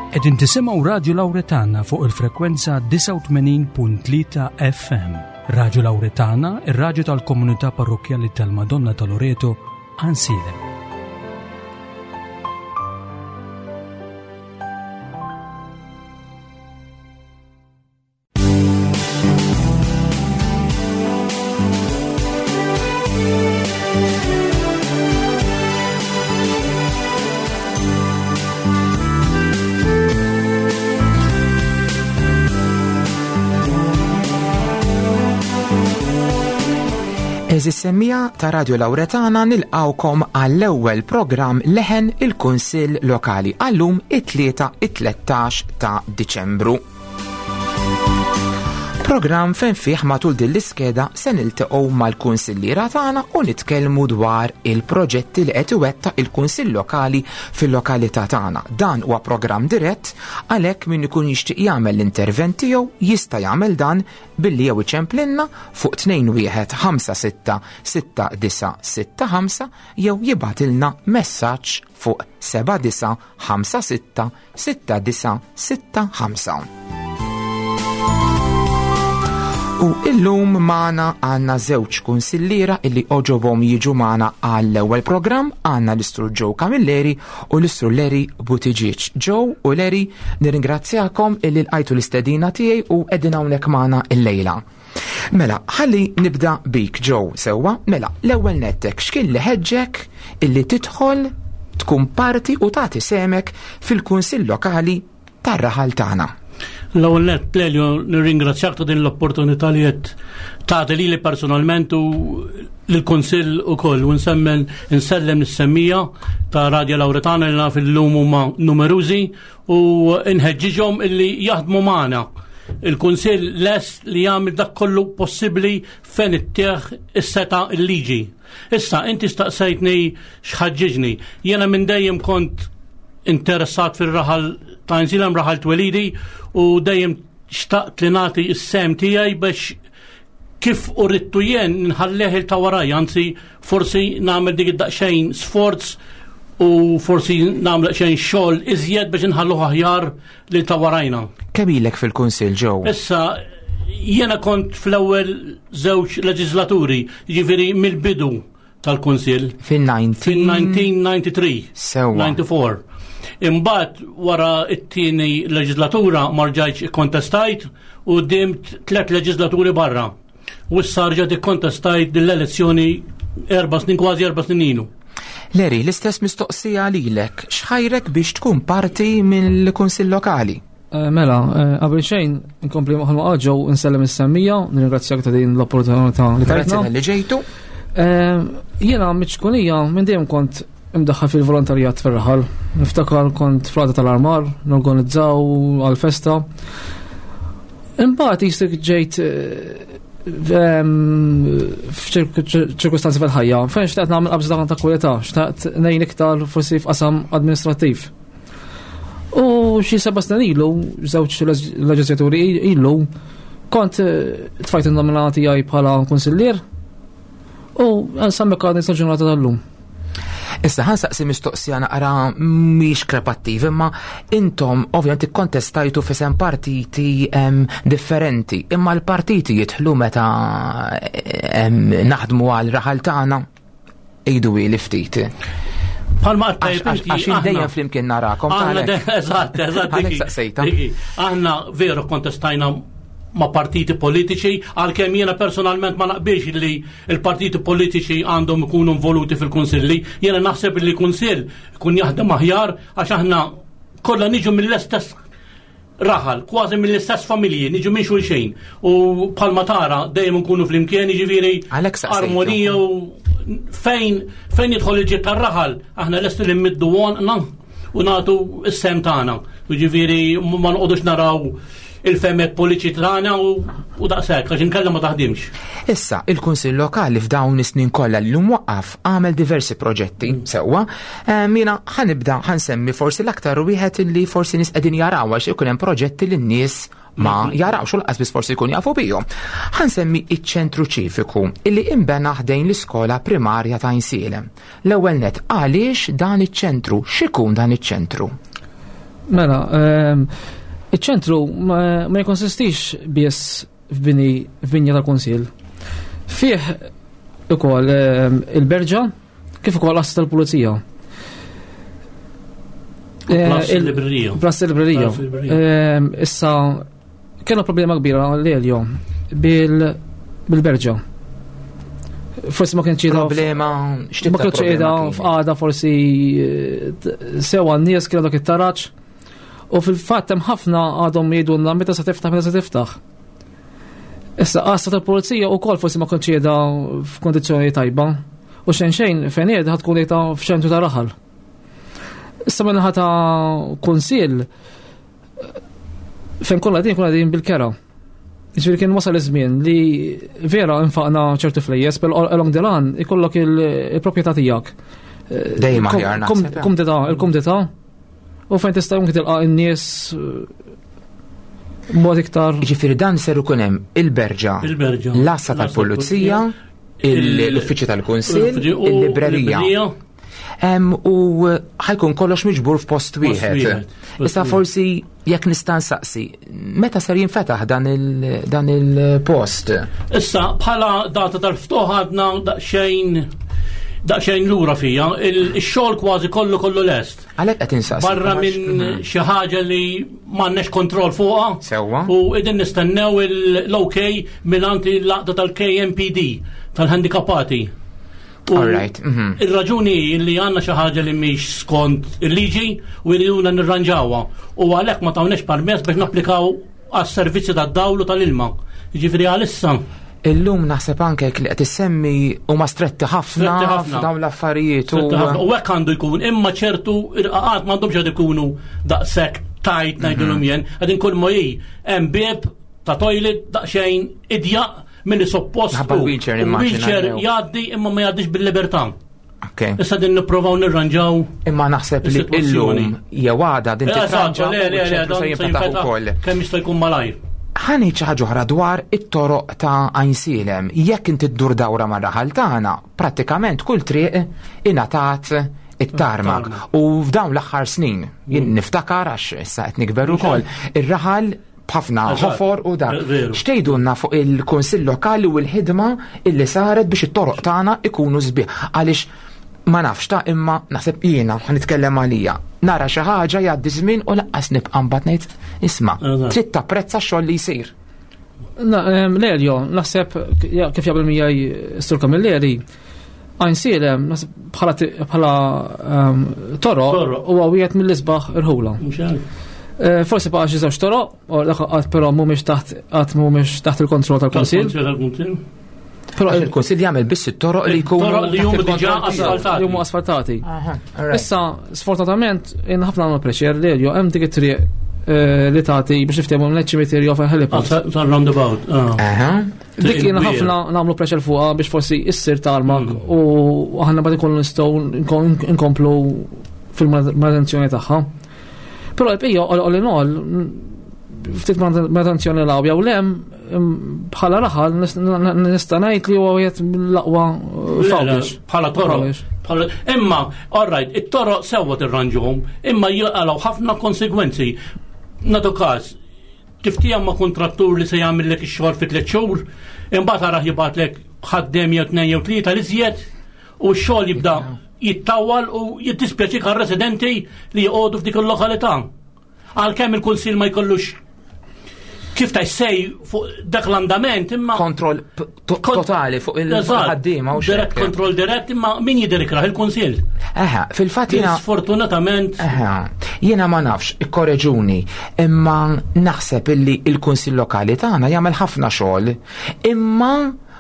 Qegħdin tisimgħu Radju Lawretana fuq il-frekwenza 89.3 FM. Radju Lawretana, ir-radju tal-komunità parrokkjali tal-Madonna ta' Loreto, Għansielem. Eżis semmija ta' Radio Lauretana nilqawkom għall-ewwel programm Leħen il-Kunsill Lokali għallum it-tlieta it-13 ta' Diċembru. Programm fejn fih matul din l-iskeda se niltaqgħu mal-kunsilliera tagħna u nitkellmu dwar il-proġetti li qed iwettaq il-Kunsill Lokali fil-lokalità tagħna. Dan huwa programm dirett għalhekk min ikun jixtieq jagħmel l-intervent tiegħu jista' jagħmel dan billi jew iċemplinna fuq 2156 6965 jew jibgħatilna messaġġ fuq 7956 6965. U illum magħna għandna żewġ kunsilliera illi oġobhom jiġu magħna għall-ewwel programm għandna l-Istru Joe Camilleri u l-Istru Larry Buttigieg. Joe u Larry nirringrazzjakom illi lqajtu l-istedina tiegħi u qegħdin hawnhekk magħna illejla. Mela, ħalli nibda bik Joe, sewwa, mela, l-ewwel nettek x'kien li ħeġġek illi tidħol tkun parti u tagħti semek fil-Kunsill Lokali tar-raħal tagħna. L-ewwel nett Lelio nirringrazzjak ta' din l-opportunità li qed tagħti lili personalment u lill-Kunsill ukoll u nsemmen insellem lis-semmija ta' Radja Lawretana li naf illum huma numerużi u nħeġġiġhom illi jaħdmu magħna. Il-Kunsill lest li jagħmel dak kollu possibbli fejn ittieħ is-seta l-liġi. Issa inti staqsejtni x'ħaġġiġni. Jiena minn dejjem kont interessat fir-raħal ta' Inżilem raħal twelidi u dejjem xtaqt li nagħti s-sem tiegħi biex kif urittu jien nħalleh il ta' waraj, anzi forsi nagħmel dik id-daqsxejn sforz u forsi nagħmel xejn xogħol iżjed biex nħalluh aħjar lil ta' warajna. Kemm ilek fil-Kunsill ġew? Issa jiena kont fl-ewwel żewġ leġislaturi, jiġifieri mill-bidu tal-Kunsill. Fin-1993. Sewa. 94. Imbagħad wara t-tieni leġislatura ma rġajtx ikkontestajt u dimt tliet leġislaturi barra. U issa rġajt ikkontestajt din l-elezzjoni erba' snin kważi erba' snin ilu. Leri, l-istess mistoqsija lilek, x'ħajrek biex tkun parti mill-Kunsill Lokali? Eh, mela, eh, qabel xejn, nkompli maħal ma ġew insellem is-semmija, nirringrazzjak ta' din l-opportunità li tajtna. Grazzi li ġejtu. Eh, jiena miċkunija minn dejjem kont imdaħħal fil-volontarjat fir-raħal. Niftakar kont flata tal-armar, norganizzaw għal-festa. Imbagħad jistik ġejt f'ċirkustanzi fil-ħajja, fejn xtaqt nagħmel qabża ta' kwalità, xtaqt ngħin iktar forsi f'qasam administrattiv. U xi seba' snin ilu, żewġ leġislaturi ilu, kont eh, tfajt in-nomina tiegħi bħala kunsillier u nsemmi għadni sa ġurnata tal-lum. Issa ħan saqsi mistoqsija naqra mhix krepattiv, imma intom ovvjament ikkontestajtu fisem partiti differenti, imma l-partiti jidħlu meta naħdmu għal raħal tagħna. Ejdu li ftit. Palma għattajt Għax dejjem flimkien narakom. Eżatt, eżatt. Aħna veru kontestajna ma' partiti politiċi, għalkemm jiena personalment ma naqbilx li l-partiti politiċi għandhom ikunu involuti fil-kunsilli, jiena naħseb li kunsill ikun jaħdem aħjar għax aħna kollha niġu mill-istess raħal, kważi mill-istess familji, niġu minn xulxin. U bħalma tara dejjem nkunu flimkien, jiġifieri armonija u fejn fejn jidħol il-ġid tar-raħal, aħna lesti li mmiddu għonqna u nagħtu s-sem tagħna. Jiġifieri ma noqogħdux naraw il-femet politiċi tagħna u daqshekk għax inkella ma taħdimx. Issa, il-Kunsill Lokali f'dawn is-snin kollha li mwaqqaf għamel diversi proġetti sewwa. Jiena ħanibda ħansemmi forsi l-aktar wieħed li forsi nies qegħdin jaraw għax ikun hemm proġetti li n-nies ma jarawx u laqas biss forsi jkun jafu bihom. Ħansemmi iċ-ċentru ċiviku illi imbena ħdejn l-iskola primarja ta' Insielem. L-ewwel net għaliex dan iċ-ċentru, x'ikun dan iċ-ċentru? Mela, iċ-ċentru ma jkonsistix biss f'bini f'binja tal-Kunsill. Fih ukoll il-berġa kif ukoll għassa tal-Pulizija. Plus il-librerija. Plus il-librerija. Issa Kellna problema kbira l-Elio bil-berġa. Forsi ma kienx Problema, Ma kienx qiegħda f'qagħda forsi eh, sewa n-nies kienu dak it-taraġ. U fil-fatt hemm ħafna għadhom jgħidulna meta se tiftaħ, meta se tiftaħ. Issa qassa tal-pulizija wkoll forsi ma kienx qiegħda f'kondizzjoni tajba. U xejn xejn fejn qiegħda tkun qiegħda f'ċentru ta' raħal. Issa minnaħa ta' kunsill fejn kollha din kollha din bil-kera. Ġifieri kien wasal iż-żmien li vera infaqna ċertu flejjes, però along the line ikollok il-proprjetà tiegħek. Dejjem aħjar naħseb. Kumdità, il-kumdità. U fejn tista' anke tilqa' n-nies eh, mod iktar. Ġifieri dan ser ikun hemm il-berġa, l-għassa tal-pulizija, l-uffiċċju tal-kunsill, il-librerija. U ħajkun kollox miġbur f'post wieħed. Issa forsi jekk nista' nsaqsi, meta ser jinfetaħ dan il-post? Issa bħala data tal-ftuħ għadna daqsxejn daqsxejn lura fija, il-xogħol kważi kollu kollu lest. Għalhekk qed insaqsi. Barra minn mhm. xi ħaġa li m'għandniex kontroll fuqha. Sewwa. U qegħdin nistennew l-OK mingħand l-għaqda tal-KMPD tal-handikapati. All right. Mhm. Ir-raġuni hi li għandna xi ħaġa li mhix skont il-liġi u jriduna nirranġawha. U għalhekk ma tawniex permess biex napplikaw għas-servizzi tad-dawl u tal-ilma. Jiġifieri għalissa. Illum naħseb anke li qed issemmi huma stretti ħafna f'dawn l-affarijiet. U hekk għandu jkun, imma ċertu irqaqat m'għandhomx qed ikunu daqshekk tajt ngħidulhom mhm. jien, qegħdin kull ma hi hemm bieb ta' toilet daqsxejn idjaq Milli suppost. Ħabba wheelchair immaġina. Wheelchair jgħaddi imma ma jgħaddix bil-libertà. Okay. Issa din nipprovaw nirranġaw. Imma naħseb li illum jew għada din titranġa. Le, le, le, dan se jinfetaħ ukoll. Kemm jista' jkun malajr. Ħani xi ħaġa oħra dwar it-toroq ta' Għajnsielem. Jekk inti ddur dawra mar-raħal tagħna, prattikament kull triq ingħatat it-tarmak. U f'dawn l-aħħar snin, jien mm. niftakar għax issa qed nikber ukoll, ir-raħal b'ħafna ħofor u dak. X'tgħidulna fuq il-Kunsill Lokali u l-ħidma illi saret biex it-toroq tagħna ikunu sbieħ għaliex ma nafx ta' imma naħseb jiena nitkellem għalija. Nara xi ħaġa jgħaddi żmien u laqqas nibqa' mbagħad ngħid isma' trid tapprezza x-xogħol li jsir. Leljo, naħseb kif jaqbel miegħi Sur Camilleri, Għajnsielem bħala ehm, toro huwa wieħed mill-isbaħ irħula. Eh, forsi baqa' xi żewġ toroq, u dak qatt però mhumiex taħt qatt mhumiex taħt il-kontroll tal-Kunsill. Però il-Kunsill jagħmel biss it-toroq li jkunu toroq li huma diġà asfaltati. Li huma asfaltati. Issa, sfortunatament, jien ħafna għamlu preċer li hemm dik it-triq eh, li tagħti biex niftehmu l-ċimiterju fil-heliport. Ah, tal-roundabout. Ah. Dik jiena ħafna nagħmlu pressure fuqha biex forsi issir tarmak mm. u aħna bad ikollu nistgħu nkomplu fil-manutenzjoni tagħha. Però l-bqija all in all ftit manutenzjoni law jew lem bħala raħal nista' ngħid li huwa wieħed mill-aqwa fawdex. Bħala toroq. Imma, all right, it-toroq sewwa tirranġuhom, imma jaqalgħu ħafna konsegwenzi. Nagħtu każ, Tiftiehem ma' kuntrattur li se jagħmillek ix-xogħol fi tliet xhur, imbagħad arah jibgħatlek ħaddiem jew tnejn jew tlieta li żjed u x-xogħol jibda jittawwal u jiddispjaċik għar-residenti li joqogħdu f'dik il-lokalità. Għalkemm il-kunsill ma jkollux kif ta' sej fuq dak l-andament imma. Kontroll totali fuq il-ħaddiema u Dirett kontroll dirett imma min jidher ikrah il-kunsill. Eħe, fil-fatt jiena sfortunatament. Eħe, jiena ma nafx, ikkoreġuni, imma naħseb illi il-kunsill lokali tagħna jagħmel ħafna xogħol, imma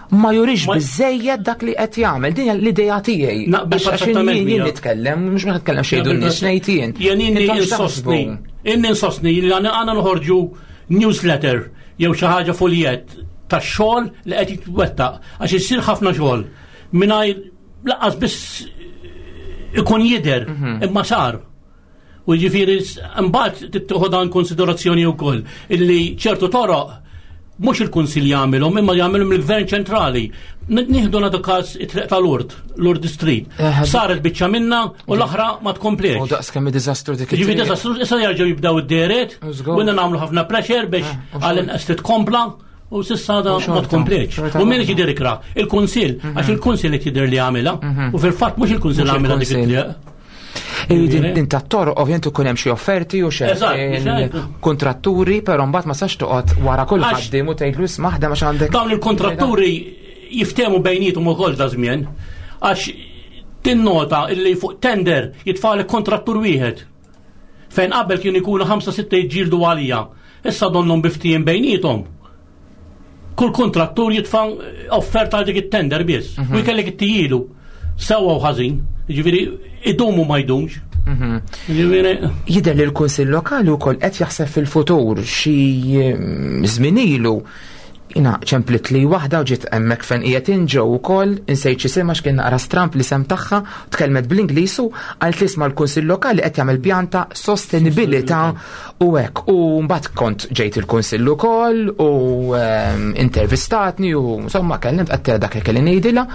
ma jurix biżejjed dak li qed jagħmel. Din l-idea tiegħi. Naqbel perfettament. Jien nitkellem, mhux ma nitkellem xejn dun nies ngħid jien. Jien inni insostni, inni insostni li għandna noħorġu newsletter jew xi ħaġa fuljett tax-xogħol li qed jitwettaq għax issir ħafna xogħol mingħajr laqqas biss ikun jidher mhm. imma sar. U ġifieri mbagħad tittieħu dan konsiderazzjoni wkoll illi ċertu toroq Mhux il-Kunsill jagħmilhom imma jagħmilhom il-Gvern ċentrali. Nieħdu nagħtu każ it-triq tal-Urt, l-Urt Street. Eh, Saret biċċa minna u l-oħra ma tkompliex. U daqs kemm diżastru dik. Ġifi diżastru issa jerġgħu jibdew id-deret u nagħmlu ħafna pressure biex Eh, għall-inqas titkompla u sissa da ma tkompliex. U min jidher ikra? Il-Kunsill, għax il-Kunsill qed jidher li għamilha u fil-fatt mhux il-Kunsill għamilha dik it-triq. Din ta' toroq ovvjament ikun hemm xi offerti u xi kontratturi, però mbagħad ma sax toqgħod wara kull ħaddiem u tgħidlu isma' ħdem għax għandek. Dawn il-kontratturi jiftehmu bejnietom ukoll da żmien għax tinnota illi fuq tender jitfalek kontrattur wieħed. Fejn qabel kienu jkunu 5-6 jġildu għalija. Issa donnhom biftijin bejnietom. Kull kontrattur jitfa' offerta għal dik it-tender biss. U jkellek it-tijilu. Sewwa u ħażin. Ġifieri idumu ma jdumx. Ġifieri Jidher li l-Kunsill Lokali wkoll qed jaħseb fil-futur xi żmien ilu jina ċemplit li waħda u ġiet hemmhekk fejn qiegħed inġew ukoll insejt xi għax kien naqra stramp li sem tagħha tkellmet bl-Ingliż u qalt li isma' l-Kunsill Lokali qed jagħmel pjan ta' sostenibilità u hekk. U mbagħad kont ġejt il-Kunsill ukoll u intervistatni u insomma kellimt qed dak li kelli ngħidilha.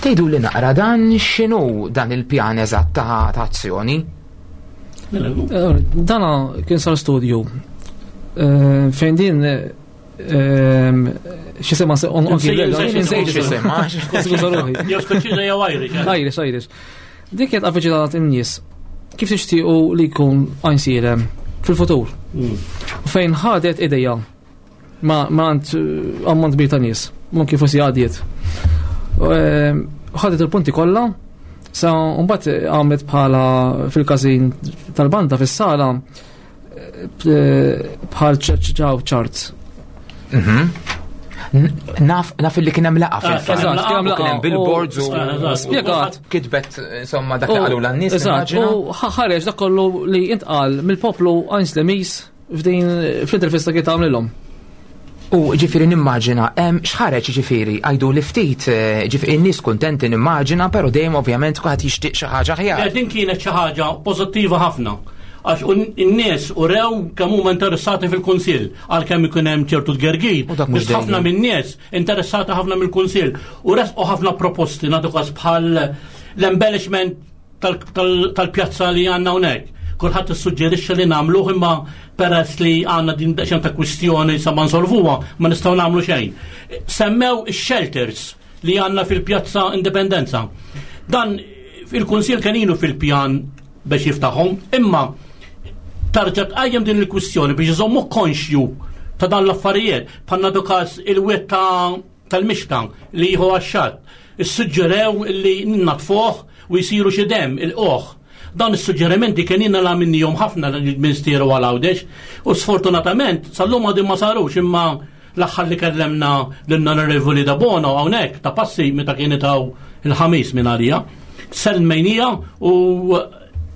Tgħidu li naqra dan x'inhu dan il-pjan eżatt ta' azzjoni? Dana kien sar studju fejn din x'isema Insejt x'isema. Skuża ruħi. Jew Skoċċiża jew Irish. Irish, Irish. Dik kienet avviċinat in-nies kif tixtiequ li jkun Għajnsielem fil-futur. U fejn ħadet ideja ma għand ammont kbir ta' nies, mhux forsi għadiet. Ħadet il-punti kollha, sa mbagħad għamlet bħala fil-każin tal-banda fis-sala bħal ċaw ċart. Naf li kien hemm laqgħa fil-fatt. Eżatt, kien hemm U kien hemm laqgħa billboards u Spjegat. kitbet insomma dak li qalu l-nies. Eżatt, nimmaġina. u ħareġ dak kollu li intqal mill-poplu Għajnslemiż f'din fl-intervista kien tagħmlilhom. U ġifieri nimmaġina, x'ħareġ ġifieri, għajdu li ftit, ġifieri n-nies kuntenti nimmaġina, però dejjem ovvjament kulħadd jixtieq xi ħaġa aħjar. Din kienet xi ħaġa pożittiva ħafna. Għax in-nies urew kemm huma interessati fil-Kunsill, għalkemm ikun hemm ċertu tgergir, U dak mhux biss ħafna dejjem. min-nies interessati ħafna mill-Kunsill u resqu ħafna proposti nagħtu każ bħal l-embellishment tal-pjazza li għandna hawnhekk. Kulħadd issuġġerixxa li nagħmluh imma peress li għandna din daqsxejn ta' kwistjoni sa ma nsolvuha ma nistgħu nagħmlu xejn. Semmew ix-shelters li għandna fil-pjazza Indipendenza. Dan il-Kunsill kien ilu fil-pjan biex jiftaħhom, imma tarġa' tqajjem din il-kwistjoni biex iżommu konxju ta' dan l-affarijiet. Bħalna każ il-wied tal-mixta li jieħu għax-xatt. Issuġġerew li natfuh u jsiru xi dem il-qoħ. Dan is-suġġerimenti kien ilna la minnihom ħafna l-Ministeru għal Għawdex u sfortunatament sal-lum għadhom ma sarux imma l-aħħar li kellemna l-Onorevoli Debono hawnhekk ta' passi meta kienet hawn il-ħamis minn għalija. Sellmejnija u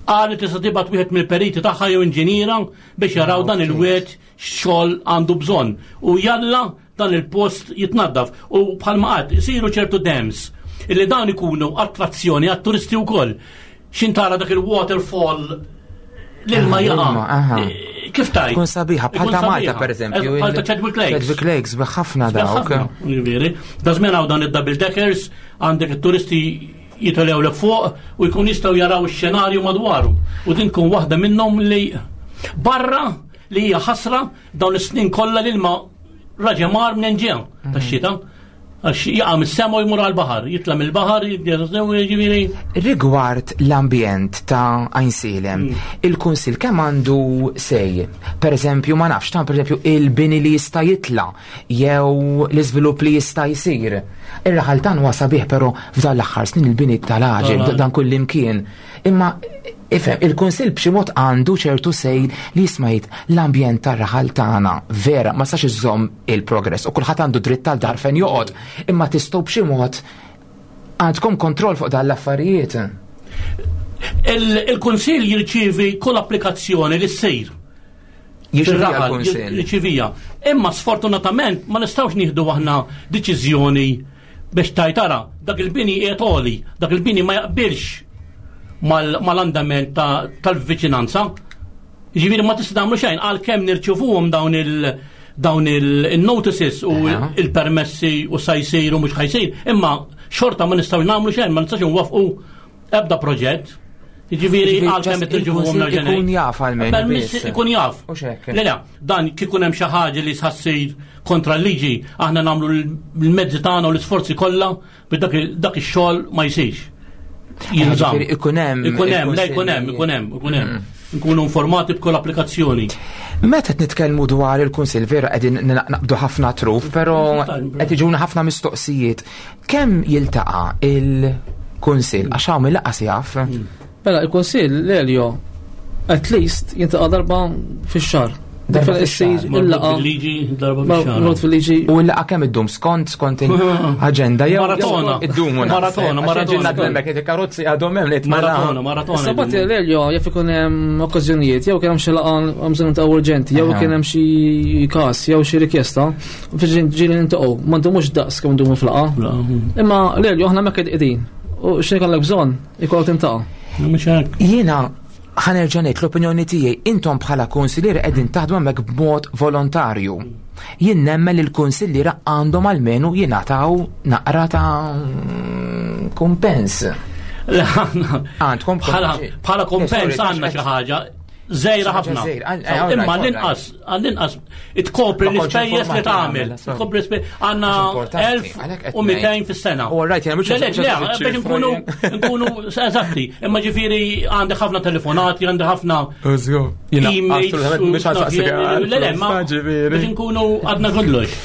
qalet tista' tibgħat wieħed mill-periti tagħha jew inġiniera biex jaraw dan il-wied xogħol għandu bżonn. U jalla dan il-post jitnaddaf. U bħalma qatt isiru ċertu dams illi dan ikunu attrazzjoni għat-turisti wkoll. Xintara dak il-waterfall l-ilma Ah, jaqa. l-ilma, aha. Kif tajt? Tkun sabiħa, bħal Ikun ta' Malta sabiħa. per eżempju. Bħal ta' Chadwick Lakes. Chadwick Lakes, ħafna dawk. Ġifieri. Da żmien hawn dan id-double deckers, għandek it-turisti jitolgħu 'l fuq u jkun jistgħu jaraw ix-xenarju madwaru. U din tkun waħda minnhom li barra li hija ħasra dawn is-snin kollha l-ilma raġa mar minn ġew tax-xita. Għax jaqa' mis-sema u jmur għall-baħar, jitla' mill-baħar, jiġifieri. Rigward l-ambjent ta' Għajnsielem, il-Kunsill kemm għandu sej? Per eżempju, ma nafx, ta' per eżempju, il-bini li jista' jitla' jew l-iżvilupp li jista' jsir. Ir-raħal tan huwa sabiħ, però f'dan l-aħħar snin il-bini tal-għaġeb, dan kull imkien. Imma ifhem, il-Kunsill b'xi mod għandu ċertu sej li jisma' jgħid l-ambjent tar-raħal tagħna vera ma sax iżomm il-progress u kulħadd għandu dritt tal-dar fejn joqgħod, imma tistgħu b'xi mod għandkom kontroll fuq dan l-affarijiet. Il-Kunsill jirċievi kull applikazzjoni li ssir. Jirċivija Fir-raħal, l-Kunsill. Jirċivija. Imma sfortunatament ma nistgħux nieħdu aħna deċiżjoni biex tajtara dak il-bini qiegħed għoli, dak il-bini ma jaqbilx mal-andament tal-viċinanza. Ġifieri ma tista' tagħmlu xejn għalkemm nirċivuhom dawn il-notices u il-permessi u sa jsir u mhux ħajsir, imma xorta ma nistgħu nagħmlu xejn, ma nistax nwaffqu ebda proġett. Jiġifieri għalkemm irġivuhom l-ġenej. Ikun jaf għalmenu. Permess ikun jaf. Le le, dan kikun hemm xi ħaġa li sħassir kontra l-liġi, aħna nagħmlu l-mezzi tagħna u l-isforzi kollha biex dak ix-xogħol ma jsirx. Jinżamm. Ikun hemm. Ikun hemm, le ikun hemm, ikun hemm, ikun hemm. Nkunu informati b'kull applikazzjoni. Meta qed nitkellmu dwar il-Kunsill vera qegħdin naqbdu ħafna truf, però qed iġuna ħafna mistoqsijiet. Kemm jiltaqa' il-Kunsill għax hawn il-laqas jaf? Mela, il-Kunsill l-Elio at least jiltaqa' darba fix-xahar. Darba fix-xahar. Il-laqa. Fil-liġi, darba fix-xahar. Mort fil-liġi. U l-laqa kemm iddum skont skont il-aġenda jew Maratona. Iddumu. Maratona, maratona. Għax il-karozzi għadhom hemm li Maratona, maratona. Sabat l-Elio jaf ikun hemm okkażjonijiet, jew kien hemm xi laqgħa bżonn ta' urġenti, jew kien hemm xi każ, jew xi rikjesta, ġieli nintaqgħu, ma ndumux daqs kemm ndumu fl-laqgħa. Imma l-Elio aħna hemmhekk qegħdin. U x'in ikollek bżonn, ikollok tintaqa'. Jiena ħa nerġa' ngħid l-opinjoni tiegħi, intom bħala kunsillieri qegħdin taħdmu hemmhekk b'mod volontarju. Jien nemmen li l-kunsilliera għandhom almenu jingħataw naqra ta' kumpens. Għandkom bħala kumpens għandna xi ħaġa żgħira ħafna. Imma l-inqas, għall-inqas, tkopri l-ispejjeż li tagħmel. Tkopri l-ispejjeż għandna 1200 fis-sena. All right, jena mhux Le, le, biex nkunu nkunu eżatti. Imma ġifieri għandi ħafna telefonati, għandi ħafna emails. Le, le, ma biex nkunu għadna kollox.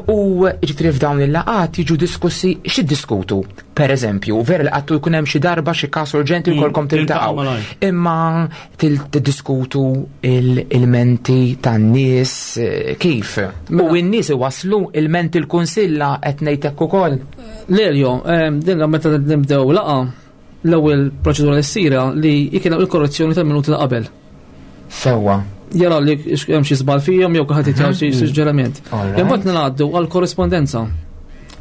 U ġifieri f'dawn il-laqat jiġu diskussi x'iddiskutu? Per eżempju, vera li għattu jkun hemm xi darba xi każ urġenti mm, jkollkom tiltaqgħu. Imma tiddiskutu il-menti tan-nies eh, kif? U mela. n-nies iwaslu il-menti l-kunsilla qed ngħid hekk ukoll. Leljo, eh, din meta nibdew laqa l-ewwel proċedura li ssira li jkien il-korrezzjoni tal-minuti ta' qabel. Sewwa. Jara li hemm xi żball fihom jew kulħadd jitgħu xi mhm. suġġerament. Imbagħad ngħaddu għal korrespondenza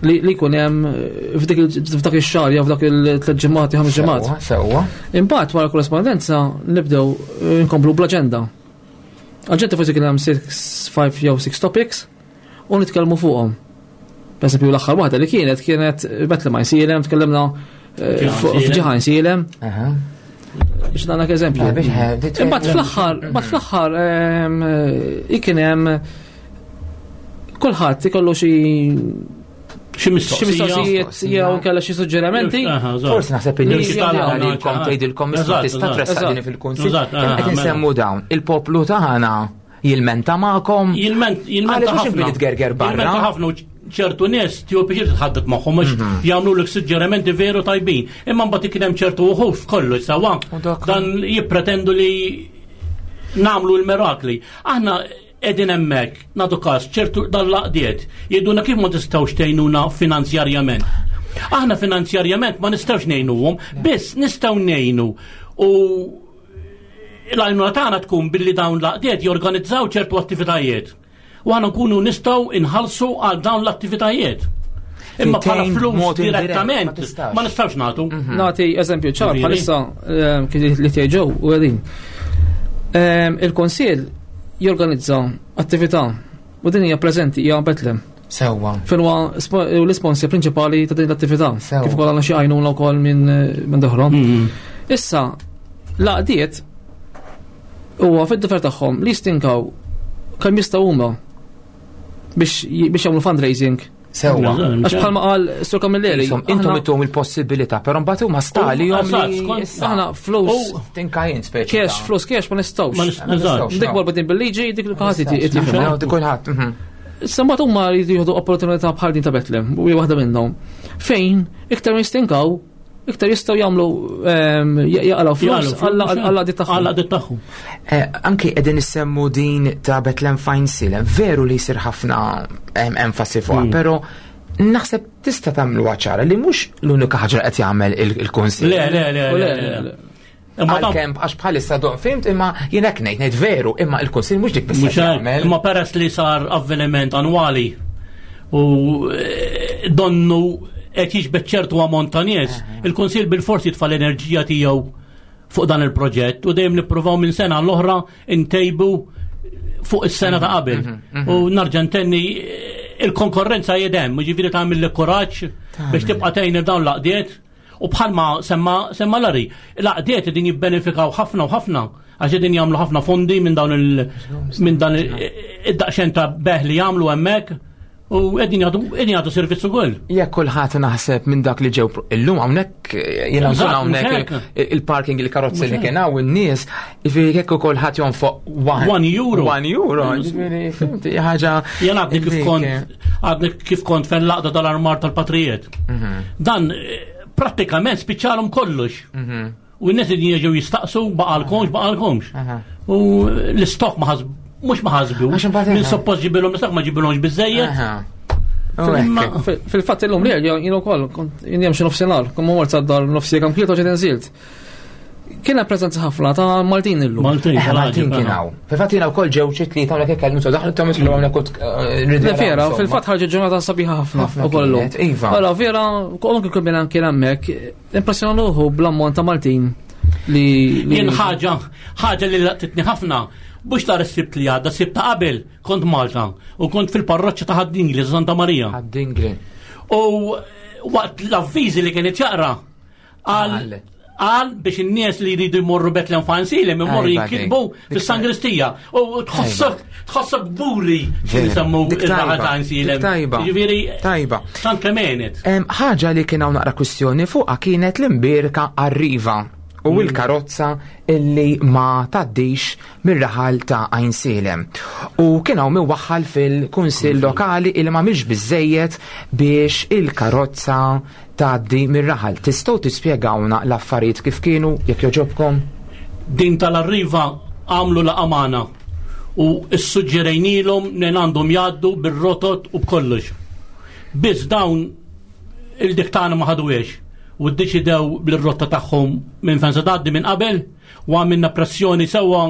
li jkun hemm eh, f'dak ix-xahar jew f'dak il-tliet ġimgħat jew ħames ġimgħat. Sewwa. Imbagħad wara korrespondenza nibdew eh, nkomplu bl-aġenda. Aġenda forsi kien hemm 6, 5 jew 6 topics u nitkellmu fuqhom. Per esempio l-aħħar waħda li kienet kienet Betlem Għajnsielem, tkellimna eh, f'ġiħa Għajnsielem. Biex nagħlek eżempju. Imbagħad fl-aħħar, mbagħad fl-aħħar ehm, eh, kien hemm kulħadd ikollu xi xi mistoqsijiet jew kellha xi suġġerimenti. Forsi naħseb in-nies tgħidilkom tgħidilkom tista' tressaq din fil-kunsill. Qed insemmu dawn il-poplu tagħna Jilmenta magħkom? Jilment, jilmenta ħafna. Għaliex tgerger barra? Jilmenta ħafna ċertu nies tiegħu biex titħaddet magħhom għax mhm. jagħmlu lek suġġerimenti veru tajbin. Imma mbagħad ikun hemm ċertu uħuf kollu sawa dan jippretendu li nagħmlu l-mirakli. Aħna qegħdin hemmhekk nagħtu każ ċertu dal-laqdiet jgħidulna kif ma tistgħux tgħinuna finanzjarjament. Aħna finanzjarjament ma nistgħux ngħinuhom, biss nistgħu ngħinu u l-għajnuna tagħna tkun billi dawn l-għaqdiet jorganizzaw ċertu attivitajiet. U aħna nkunu nistgħu inħallsu għal dawn l-attivitajiet. Imma bħala flus direttament ma nistgħux nagħtu. Mhm. Nagħti eżempju ċar bħalissa ehm, li tgħiġew u qegħdin. Ehm, Il-Konsil jorganizza attività u din hija preżenti hija Betlem. Sewwa. Fejn huwa l-isponsor prinċipali ta' din l-attività. Kif ukoll għandna xi għajnuna wkoll minn minn doħrom. Mm-hmm. Issa, l-għaqdiet huwa fid-difer tagħhom li jistinkaw kemm jistgħu huma biex biex jagħmlu fundraising. Sewwa. Għax bħalma qal Sur Camilleri. Intom intom il-possibilità, però mbagħad huma stali jom Aħna flus. Tinka jien speċi. Cash, flus cash ma nistgħux. Dik marbutin bil-liġi, dik li kulħadd jifhem. Dik kulħadd. Mhm. Issa mbagħad huma jridu jieħdu opportunità bħal din ta' Betlem, u hija waħda minnhom. Fejn iktar ma jistinkaw, iktar jistgħu jagħmlu ehm, jaqalgħu flus għall għadi tagħhom. Għall għadi tagħhom. Eh, anki qegħdin issemmu din ta' Betlem Fine Silem, veru li jsir ħafna ehm, enfasi fuqha, mm. però naħseb tista' tagħmlu ċara li mhux l-unika ħaġa qed jagħmel il-kunsill. Le, le, le, le. Imma għalkemm għax bħalissa don fimt imma jien hekk ngħid ngħid veru imma il-kunsill mhux dik biss jagħmel. Imma peress li sar avveniment annwali u eh, donnu qed jiġbed ċertu ammont ta' nies, il-kunsill bil-forsi jitfa' l-enerġija tiegħu fuq dan il-proġett u dejjem nippruvaw minn sena l-oħra ntejbu fuq is-sena ta' qabel. U narġa' ntenni il-konkorrenza jedem, ġifieri tagħmel kuraġġ biex tibqa' tgħin dawn l-għaqdiet u bħalma semma semma Lari, l-għaqdiet din jibbenefikaw ħafna u ħafna għax din jagħmlu ħafna fondi minn dawn il minn dan id-daqxen ta' beħ li jagħmlu hemmhekk u qegħdin jagħtu qegħdin jagħtu servizz ukoll. Jekk kulħadd naħseb minn dak li ġew illum hawnhekk jiena Eżatt, nkun hawnhekk mhux hekk. il-parking il-karozzi li Mhux kien hawn in-nies, jiġifieri jekk ukoll ħadd jonfoq €1. €1, jiġifieri fimti ħaġa. Jien għadni kif illi- kont għadni kif kont fejn laqda tal-armar tal-patrijiet. Dan prattikament spiċċalhom kollox. U n-nies li jiġu jistaqsu baqalkomx, baqalkomx. U l-istok ma ħasb mhux ma ħasbu. Għax imbagħad Min eħe. suppost ġibilhom l-istok ma ġibilhomx biżejjed. Aha. U hekk. Fil-fatt illum li jien ukoll kont jien hemm xi nofsinhar, kont ma mort sad-dar nofsi kemm kielu ġejt inżilt. Kien hemm preżenza ħafna ta' Maltin illum. Maltin, Eh, Maltin kien hawn. Fil-fatt jiena wkoll ġew xi tlieta hawnhekk ikellmu so daħlu tom jidħlu hawnhekk u Le vera, fil-fatt ħarġet ġurnata sabiħa ħafna Ħafna ukoll illum. kienet, iva. Allora vera, anke kien kien kien hemmhekk, impressjona ruħu bl-ammont ta' Maltin li Jien ħaġa, ħaġa li laqtitni ħafna, mhux tar is-sibt li għadda, sibt ta' qabel kont Malta u kont fil-parroċċa ta' Ħad-Dingli, Santa Marija. Ħad-Dingli. U waqt l-avviżi li kienet jaqra għal Għal. għal biex in-nies li jridu jmorru Betlem Fansilem imorru Ajba, jinkitbu dik. fis-sangristija. U tħossok tħossok buri Vera. x'insemmu Dik il-raħal tajba, ta' Għajnsielem. dik tajba. Jiġifieri Tajba. tant kemm għenet. Ħaġa li kien hawn naqra kwistjoni fuqha kienet l-imbierka arriva u l-karozza illi ma taddix mir-raħal ta' Għajnsielem. U kien hawn min waħħal fil-kunsill lokali illi ma mhix biżejjed biex il-karozza tgħaddi mir-raħal. Tistgħu tispjegawna l-affarijiet kif kienu jekk joġobkom? Din tal-arriva għamlu la amana u s-suġġerejnilhom li għandhom jgħaddu bir-rotot u b'kollox. Biss dawn il-diktana ma ħaduhiex u ddeċidew bil-rotta tagħhom minn fejn se tgħaddi minn qabel u għamilna pressjoni sewwa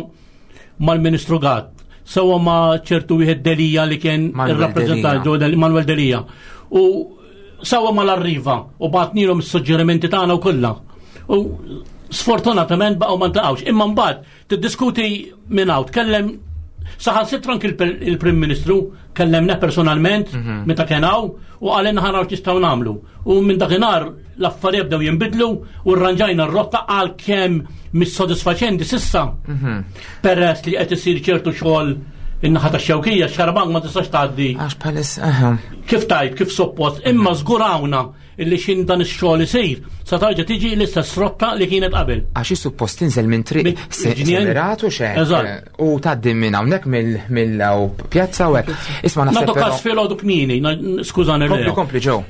mal-Ministru Gatt, sewwa ma' ċertu wieħed Delija li kien Manuel ir-rappreżentant Delia. Ġo Manuel Delija. U sewwa mal-arriva u bagħtnilhom is-suġġerimenti tagħna u kollha. U sfortunatament baqgħu ma ntaqgħux. Imma mbagħad tiddiskuti minn hawn, tkellem saħansitra anki il-Prim Ministru kellemna personalment meta kien hawn u qalilna ħa naraw x'nistgħu nagħmlu. U minn dakinhar l-affarijiet bdew jinbidlu u rranġajna r-rotta għal kemm mis-sodisfaċenti sissa. Peress li qed isir ċertu xogħol in-naħa tax-xewkija, xarabank ma tistax tgħaddi Għax bħalis, aha. kif tajt, kif suppost, imma żgurawna illi xin dan ix-xogħol isir, sa tarġa' tiġi l-istess rotta li kienet qabel. Għax suppost tinżel minn triq Minn ġnien. semeratu xek. Eżatt. U tgħaddi minn hawnhekk mill pjazza u hekk. Isma' naħseb Nagħtu każ però- filgħodu kmieni, skużani Kompli Leo. kompli ġew.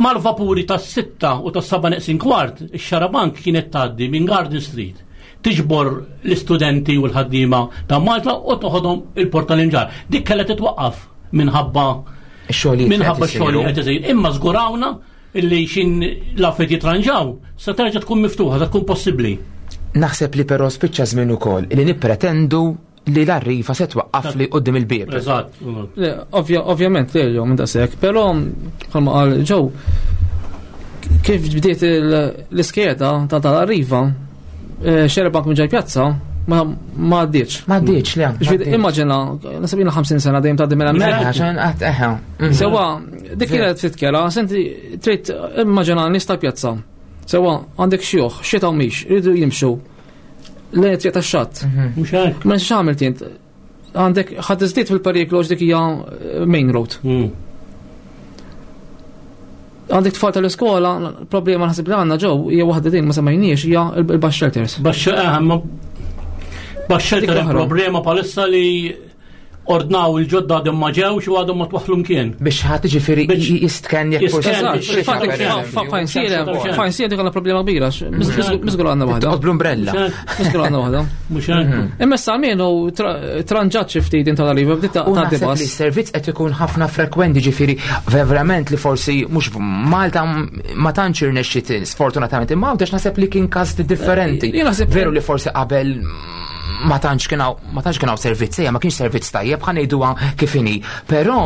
Mal-vapuri tas-6 u tas-7 neqsin kwart, ix-xarabank kienet tgħaddi minn Garden Street. Tiġbor l-istudenti u l-ħaddiema ta' Malta u toħodhom il-Port tal-Imġarr. Dik kellha titwaqqaf minħabba Ix-xogħlijiet li minħabba qed x-xogħol li isiru. qed isir. Imma żgurawna illi xin l-affarijiet jitranġaw, sa terġa' tkun miftuħa, sa tkun possibbli. Naħseb li però spiċċa żmien ukoll li nippretendu li l-arriva se twaqqaf li quddiem il-bieb. Eżatt. Le, ovvjament, le, jo, minn daqshekk, però bħalma qal ġew kif bdiet l-iskeda ta' tal-arriva, xarabank minn ġej pjazza ma għaddietx. Ma għaddietx le. Ġifieri, immaġina, nasab jiena 50 sena dejjem tgħaddi minn hemmhekk. Għaxan qatt eħe. Sewa, dik kienet ftit kera, senti trid immaġina nies tal-pjazza. Sewa, għandek xjuħ, xita u mhix, iridu jimxu. Lejn it-triq tax-xatt. Mhux hekk. Ma nix għamilt int. Għandek ħadd iżdied fil-periklu għax dik hija main road. Għandek tfal tal-iskola, problema naħseb li għandna ġew hija waħda din ma semmejniex hija il-bus shelters. Baxxa ma bus shelter Dik hemm oħra. problema palissa li ordnaw il-ġodda għadhom ma ġewx u għadhom ma twaħlu mkien. Biex ħadd ġifieri Biex- jistken jekk forsi. jistken, Eżatt, biex- fil-fatt per eżempju. fajn sielem, Xemx. fajn sielem dik għandna problema kbira, miżgur għandna waħda. Toqgħod bl-umbrella. Mhux hekk, Miżgur għandna waħda. mhux hekk. Imma issa almenu tranġat xi ftit din tal-arriva bdiet U tagħti naħseb li bus. s-servizz qed ikun ħafna frekwenti ġifieri verament li forsi mhux Malta ma tantx irnexxiet sfortunatament imma Għawdex naħseb li kien każ differenti. Jien naħseb- Veru li forsi qabel ma tantx kien ma tantx kien hawn servizz, ejja ma kienx servizz tajjeb ħa ngħiduha kif inhi. Però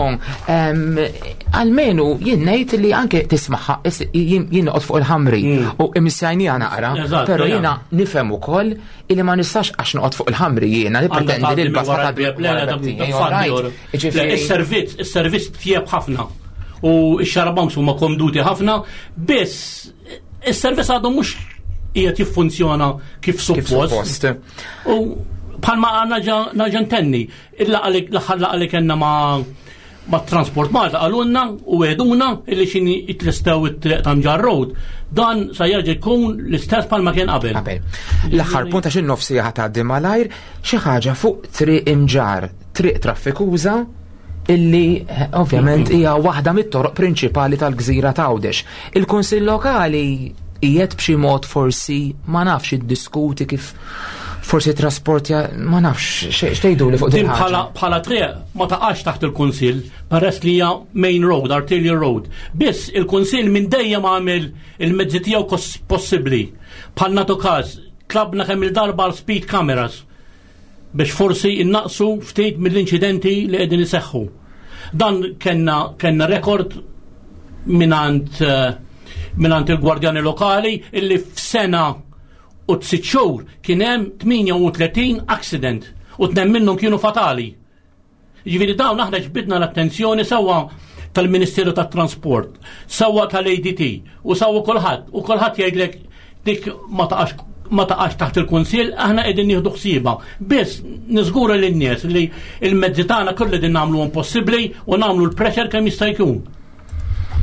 almenu jien ngħid li anke tismaħħa jien noqgħod fuq il-ħamri mm. u imissajnija naqra, però jiena nifhem ukoll illi ma nistax għax noqgħod fuq il-ħamri jiena li pretendi li l-basta ta' Is-servizz, is-servizz tjieb ħafna u x-xarabanks huma komduti ħafna, biss is-servizz għadu mhux qiegħed jiffunzjona kif suppost. U bħalma naġa ntenni, l-aħħar laqa li kellna ma' ma' Transport Malta qalulna u għeduna illi xini jitlestew it-triq ta' Mġarr Road. Dan sa jerġa' jkun l-istess bħalma kien qabel. Qabel. L-aħħar punt għax in-nofsi tgħaddi malajr xi ħaġa fuq triq Imġarr, triq traffikuża illi eh, ovvjament hija waħda mit-toroq prinċipali tal-gżira t'Għawdex. Il-Kunsill Lokali qiegħed b'xi mod forsi ma nafx iddiskuti kif forsi trasportja ma nafx x'tgħidu li fuq din bħala bħala triq ma taqax taħt il-Kunsill peress li hija main road, arterial road. Biss il-Kunsill minn dejjem għamel il-mezzi tiegħu possibbli. Bħal nagħtu każ, tlabna kemm il-darba għal speed cameras biex forsi innaqsu ftit mill-inċidenti li qegħdin iseħħu. Dan kellna kellna rekord minant eh, minant il-gwardjani lokali illi f'sena u sitt xhur kien hemm 38 accident u tnejn minnhom kienu fatali. Jiġifieri dawn aħna ġbidna l-attenzjoni sewwa tal-Ministeru tat-Trasport, sewwa tal-ADT u sewwa kulħadd u kulħadd jgħidlek dik ma taqax ma taqax taħt il-Kunsill, aħna qegħdin nieħdu ħsiebha. Biss niżgura lin-nies li l-mezzi tagħna kollu qegħdin nagħmluhom possibbli u nagħmlu l-pressure kemm jista' jkun.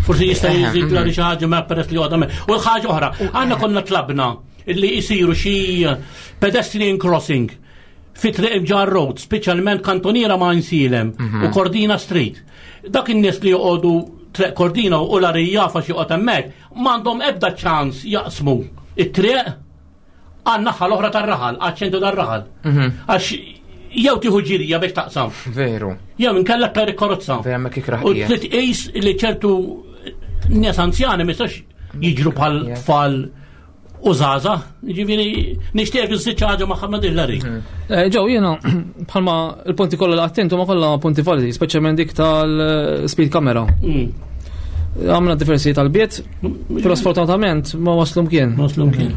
Forsi jista' jżid l xi ħaġa ma peress li għadha. U ħaġa oħra, għandna konna tlabna illi jisiru xi pedestrian crossing fi triq Imġarr Road, speċjalment kantoniera ma' Insilem u Cordina Street. Dak in-nies li joqogħdu triq Cordina u l-arija fax joqgħod hemmhekk, m'għandhom ebda ċans jaqsmu it-triq għan-naħa l-oħra tar-raħal, għaċ-ċentru tar-raħal. Għax jew tieħu ġirja biex taqsam. Veru. Jew inkella per karozza. Vera ma kikraħ. U trid tqis li ċertu nies anzjani ma jistax jiġru bħal tfal u żgħażagħ, jiġifieri nixtieq iżid xi ħaġa ma' Ħamed Hillary. Eh, Ġew jiena bħalma il-punti kollha li qattintu ma kollha punti validi, speċjalment dik tal-speed camera. Għamna diversi talbiet, però sfortunatament ma waslu mkien. Ma waslu mkien.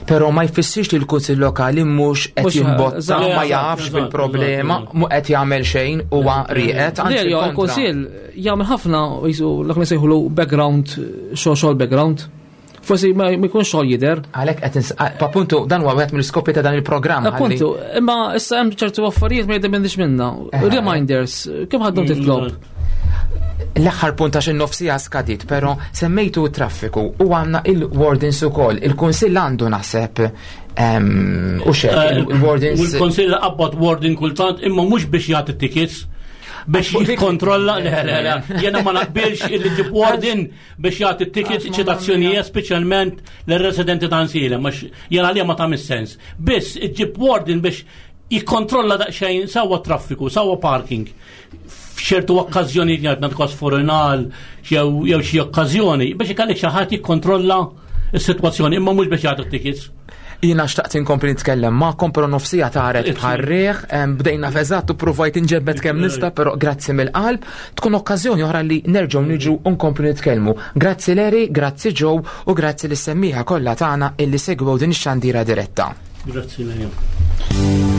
Però ma jfissirx li l-Kunsill Lokali mhux qed jimbotta, ma jafx bil-problema, mhu qed jagħmel xejn huwa rieqed. Le, il-Kunsill jagħmel ħafna jisu l sejħulu background, xogħol background. Forsi ma jkunx xogħol jidher. Għalhekk qed appuntu dan huwa wieħed mill-iskopi ta' dan il-programm. Appuntu, imma issa hemm ċertu affarijiet ma jiddependix minna. Eh. Reminders, kemm ħaddhom titlob? L-aħħar punt għax in-nofsija skadit, però semmejtu traffiku u għandna il-wardens ukoll. Il-Kunsill għandu naħseb u xejn eh, il-wardens. Il-Kunsill qabbad warden kultant imma mhux biex jagħti tickets biex jikkontrolla le le le jiena ma naqbilx illi ġib warden biex jagħti tickets ċitazzjonijiet speċjalment lir-residenti ta' Nsielem għax jien għalija ma tagħmel sens. Biss iġġib warden biex jikkontrolla daqsxejn sewwa traffiku, sewwa parking. F'ċertu okkażjoni jgħid nagħti forinal jew jew xi okkażjoni biex ikellek xi ħadd jikkontrolla s-sitwazzjoni imma mhux biex jagħti tickets. Jiena xtaqt inkompli nitkellem magħkom però nofsija taret bħar-riħ, bdejna f'eżatt u provajt inġebbed kemm nista' però grazzi mill-qalb. Tkun okkażjoni oħra li nerġgħu niġu u nkomplu nitkellmu. Grazzi Larry, grazzi Joe u grazzi lis-semmiegħa kollha tagħna illi segwew din ix-xandira diretta. Grazzi Larry.